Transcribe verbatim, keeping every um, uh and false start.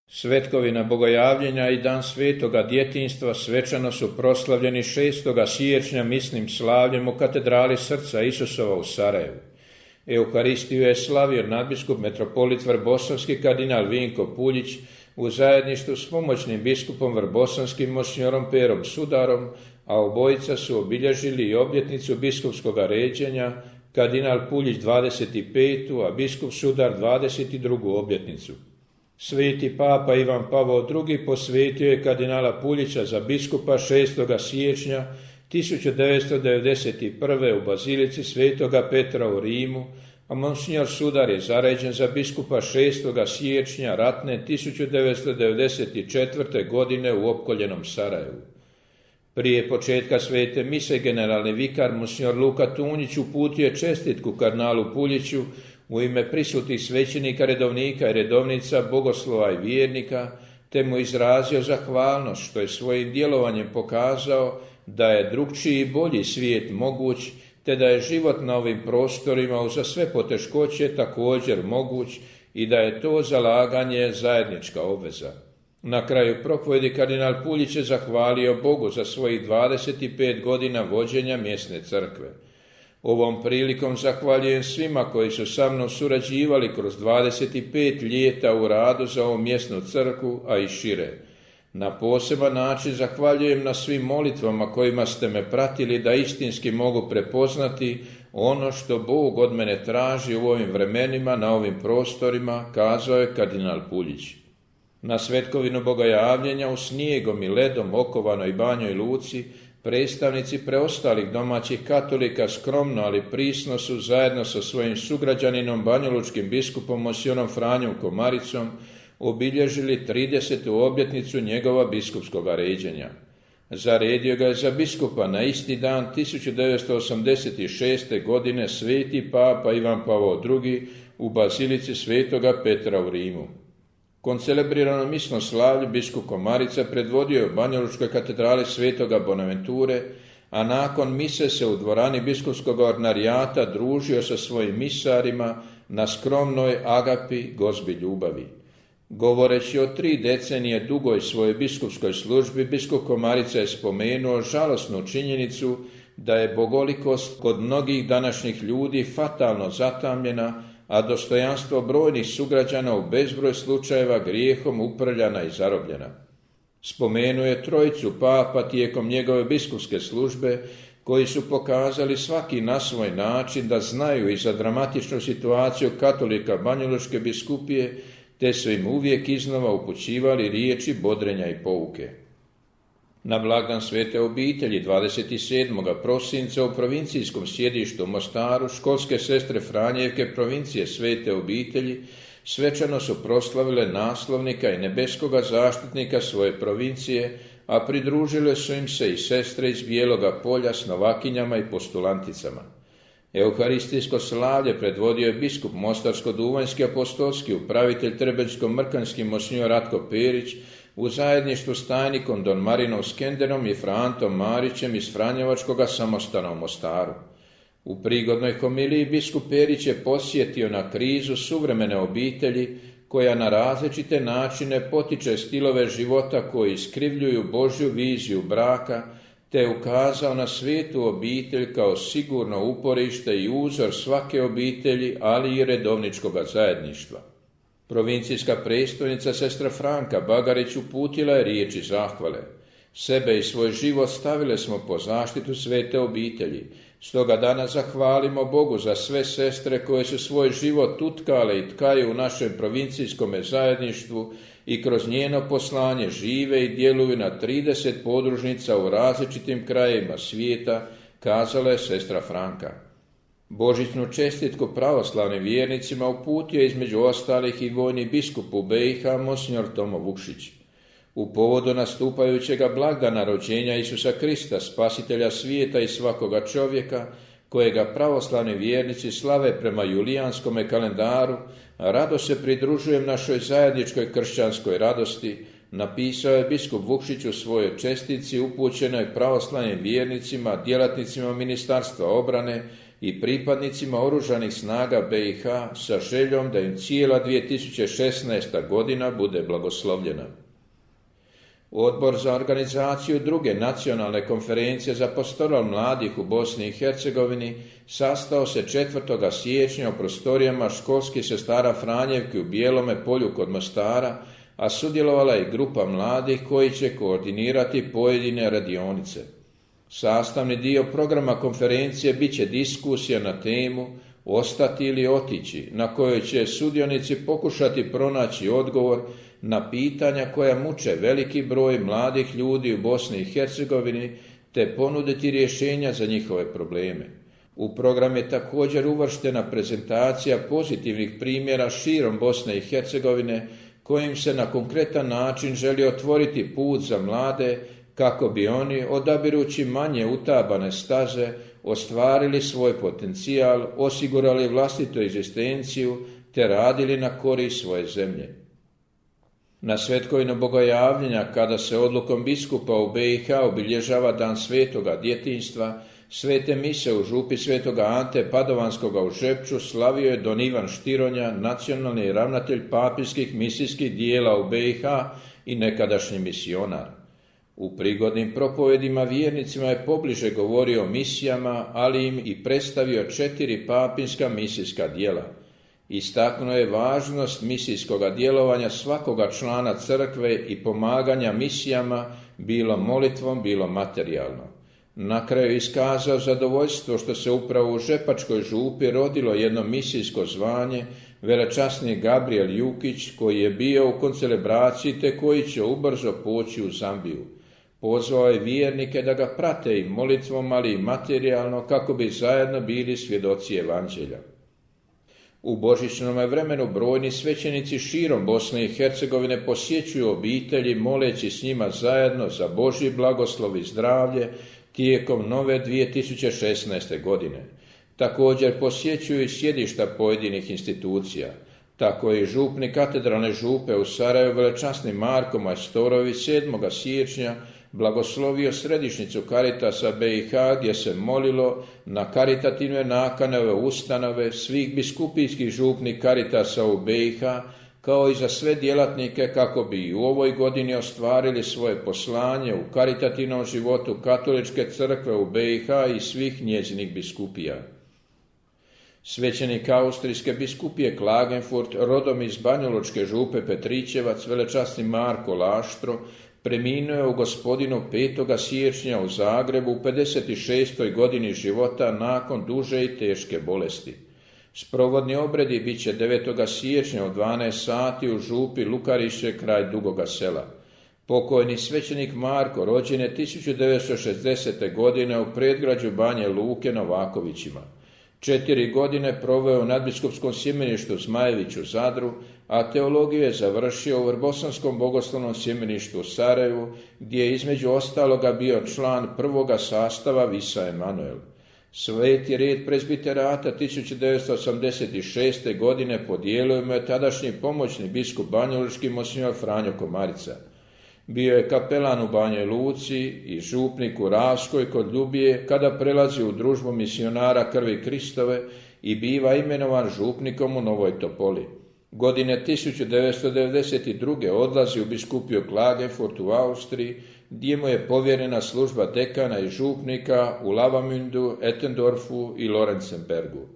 Svetkovina bogojavljenja i dan svetoga djetinjstva svečano su proslavljeni šestoga siječnja misnim slavljem u katedrali Srca Isusova u Sarajevu. Euharistiju je slavio nadbiskup metropolit Vrbosavski kardinal Vinko Puljić u zajedništvu s pomoćnim biskupom Vrbosanskim monsinjorom Perom Sudarom, a obojica su obilježili i obljetnicu biskupskoga ređenja, kardinal Puljić dvadeset petu, a biskup Sudar dvadeset drugu obljetnicu. Sveti papa Ivan Pavao drugi posvetio je kardinala Puljića za biskupa šestoga siječnja tisuću devetsto devedeset prve. u bazilici Svetoga Petra u Rimu, a monsinjor Sudar je zaređen za biskupa šestoga siječnja ratne tisuću devetsto devedeset četvrte. godine u opkoljenom Sarajevu. Prije početka svete mise generalni vikar monsinjor Luka Tunjić uputio je čestitku kardinalu Puljiću u ime prisutnih svećenika, redovnika i redovnica, bogoslova i vjernika, te mu izrazio zahvalnost što je svojim djelovanjem pokazao da je drukčiji i bolji svijet moguć, te da je život na ovim prostorima uza sve poteškoće također moguć i da je to zalaganje zajednička obveza. Na kraju propovjedi kardinal Puljić je zahvalio Bogu za svojih dvadeset pet godina vođenja mjesne crkve. Ovom prilikom zahvaljujem svima koji su sa mnom surađivali kroz dvadeset pet ljeta u radu za ovu mjesnu crkvu, a i šire. Na poseban način zahvaljujem na svim molitvama kojima ste me pratili da istinski mogu prepoznati ono što Bog od mene traži u ovim vremenima, na ovim prostorima, kazao je kardinal Puljić. Na svetkovinu bogojavljenja u snijegom i ledom okovanoj Banjoj Luci predstavnici preostalih domaćih katolika skromno, ali prisno su zajedno sa svojim sugrađaninom banjolučkim biskupom monsinjorom Franjom Komaricom obilježili tridesetu obljetnicu njegova biskupskoga ređenja. Zaredio ga je za biskupa na isti dan tisuću devetsto osamdeset šeste. godine sveti papa Ivan Pavao drugi. u bazilici Svetoga Petra u Rimu. Koncelebrirano misno slavlje biskup Komarica predvodio je u banjalučkoj katedrali Svetoga Bonaventure, a nakon mise se u dvorani biskupskog ordinarijata družio sa svojim misarima na skromnoj agapi Gozbi ljubavi. Govoreći o tri decenije dugoj svojoj biskupskoj službi, biskup Komarica je spomenuo žalosnu činjenicu da je bogolikost kod mnogih današnjih ljudi fatalno zatamljena, a dostojanstvo brojnih sugrađana u bezbroj slučajeva grijehom uprljana i zarobljena. Spomenuo je trojicu papa tijekom njegove biskupske službe, koji su pokazali svaki na svoj način da znaju i za dramatičnu situaciju katolika banjalučke biskupije, te su im uvijek iznova upućivali riječi bodrenja i pouke. Na blagdan Svete obitelji dvadeset sedmog prosinca u provincijskom sjedištu u Mostaru školske sestre Franjevke provincije Svete obitelji svečano su proslavile naslovnika i nebeskoga zaštitnika svoje provincije, a pridružile su im se i sestre iz Bijeloga polja s novakinjama i postulanticama. Euharistijsko slavlje predvodio je biskup Mostarsko-duvanjski apostolski upravitelj Trebenjsko-mrkanjski monsinjor Ratko Perić u zajedništvu s tajnikom don Marinom Skenderom i Frantom Marićem iz Franjevačkoga samostana u Mostaru. U prigodnoj homiliji biskup Perić je posjetio na krizu suvremene obitelji koja na različite načine potiče stilove života koji iskrivljuju Božju viziju braka, te ukazao na svetu obitelj kao sigurno uporište i uzor svake obitelji, ali i redovničkoga zajedništva. Provincijska predstojnica sestra Franka Bagarić uputila je riječi zahvale. Sebe i svoj život stavile smo po zaštitu svete obitelji. Stoga danas zahvalimo Bogu za sve sestre koje su svoj život utkale i tkaju u našem provincijskom zajedništvu i kroz njeno poslanje žive i djeluju na trideset podružnica u različitim krajevima svijeta, kazala je sestra Franka. Božićnu čestitku pravoslavnim vjernicima uputio je između ostalih i vojni biskup u B i H monsinjor Tomo Vukšić. U povodu nastupajućega blagdana rođenja Isusa Krista, spasitelja svijeta i svakoga čovjeka, kojega pravoslavni vjernici slave prema julijanskome kalendaru, rado se pridružujem našoj zajedničkoj kršćanskoj radosti, napisao je biskup Vukšić u svojoj čestitci upućenoj pravoslavnim vjernicima, djelatnicima Ministarstva obrane, i pripadnicima oružanih snaga B i H sa željom da im cijela dvije tisuće šesnaesta godina bude blagoslovljena. Odbor za organizaciju druge nacionalne konferencije za pastoral mladih u Bosni i Hercegovini sastao se četvrtog siječnja u prostorijama školskih sestara Franjevki u Bijelome polju kod Mostara, a sudjelovala je grupa mladih koji će koordinirati pojedine radionice. Sastavni dio programa konferencije bit će diskusija na temu ostati ili otići, na kojoj će sudionici pokušati pronaći odgovor na pitanja koja muče veliki broj mladih ljudi u Bosni i Hercegovini, te ponuditi rješenja za njihove probleme. U program je također uvrštena prezentacija pozitivnih primjera širom Bosne i Hercegovine, kojim se na konkretan način želi otvoriti put za mlade kako bi oni, odabirući manje utabane staze, ostvarili svoj potencijal, osigurali vlastitu egzistenciju te radili na korist svoje zemlje. Na svetkovinu bogojavljenja, kada se odlukom biskupa u B i H obilježava dan svetoga djetinjstva, svete mise u župi svetoga Ante Padovanskoga u Žepču slavio je don Ivan Štironja, nacionalni ravnatelj papinskih misijskih dijela u B i H i nekadašnji misionar. U prigodnim propovedima vjernicima je pobliže govorio o misijama, ali im i predstavio četiri papinska misijska djela. Istaknuo je važnost misijskoga djelovanja svakoga člana crkve i pomaganja misijama, bilo molitvom, bilo materijalno. Na kraju iskazao zadovoljstvo što se upravo u Žepačkoj župi rodilo jedno misijsko zvanje, velečasni Gabriel Jukić, koji je bio u koncelebraciji te koji će ubrzo poći u Zambiju. Pozvao je vjernike da ga prate i molitvom, ali i materijalno, kako bi zajedno bili svjedoci evanđelja. U božićnom vremenu brojni svećenici širom Bosne i Hercegovine posjećuju obitelji, moleći s njima zajedno za Božji blagoslov i zdravlje tijekom nove dvije tisuće šesnaeste. godine. Također posjećuju i sjedišta pojedinih institucija. Tako je župnik katedralne župe u Sarajevu velečasni Marko Majstorović sedmog siječnja blagoslovio središnjicu Karitasa B i H, gdje se molilo na karitativne nakane ove ustanove svih biskupijskih župnih Karitasa u B i H, kao i za sve djelatnike, kako bi i u ovoj godini ostvarili svoje poslanje u karitativnom životu Katoličke crkve u B i H i svih njezinih biskupija. Svećenik austrijske biskupije Klagenfurt, rodom iz Banjalučke župe Petrićevac, velečasni Marko Laštro, preminuo je u Gospodinu petog siječnja u Zagrebu u pedeset šestoj godini života nakon duže i teške bolesti. Sprovodni obredi bit će devetog siječnja u dvanaest sati u župi Lukariše kraj Dugoga Sela. Pokojni svećenik Marko rođen je tisuću devetsto šezdesete. godine u predgrađu Banje Luke Novakovićima. Četiri godine proveo u nadbiskupskom sjemeništu Zmajević u Zadru, a teologiju je završio u Vrbosanskom bogoslovnom sjemeništu u Sarajevu, gdje je između ostaloga bio član prvoga sastava Visa Emanuel. Sveti red prezbiterata tisuću devetsto osamdeset šeste. godine podijelio mu je tadašnji pomoćni biskup banjalučki monsignor Franjo Komarica. Bio je kapelan u Banjoj Luci i župnik u Ravskoj kod Ljubije, kada prelazi u družbu misionara Krvi Kristove i biva imenovan župnikom u Novoj Topoli. Godine tisuću devetsto devedeset druge. odlazi u biskupiju Klagenfurt u Austriji, gdje mu je povjerena služba dekana i župnika u Lavamündu, Ettendorfu i Lorenzenbergu.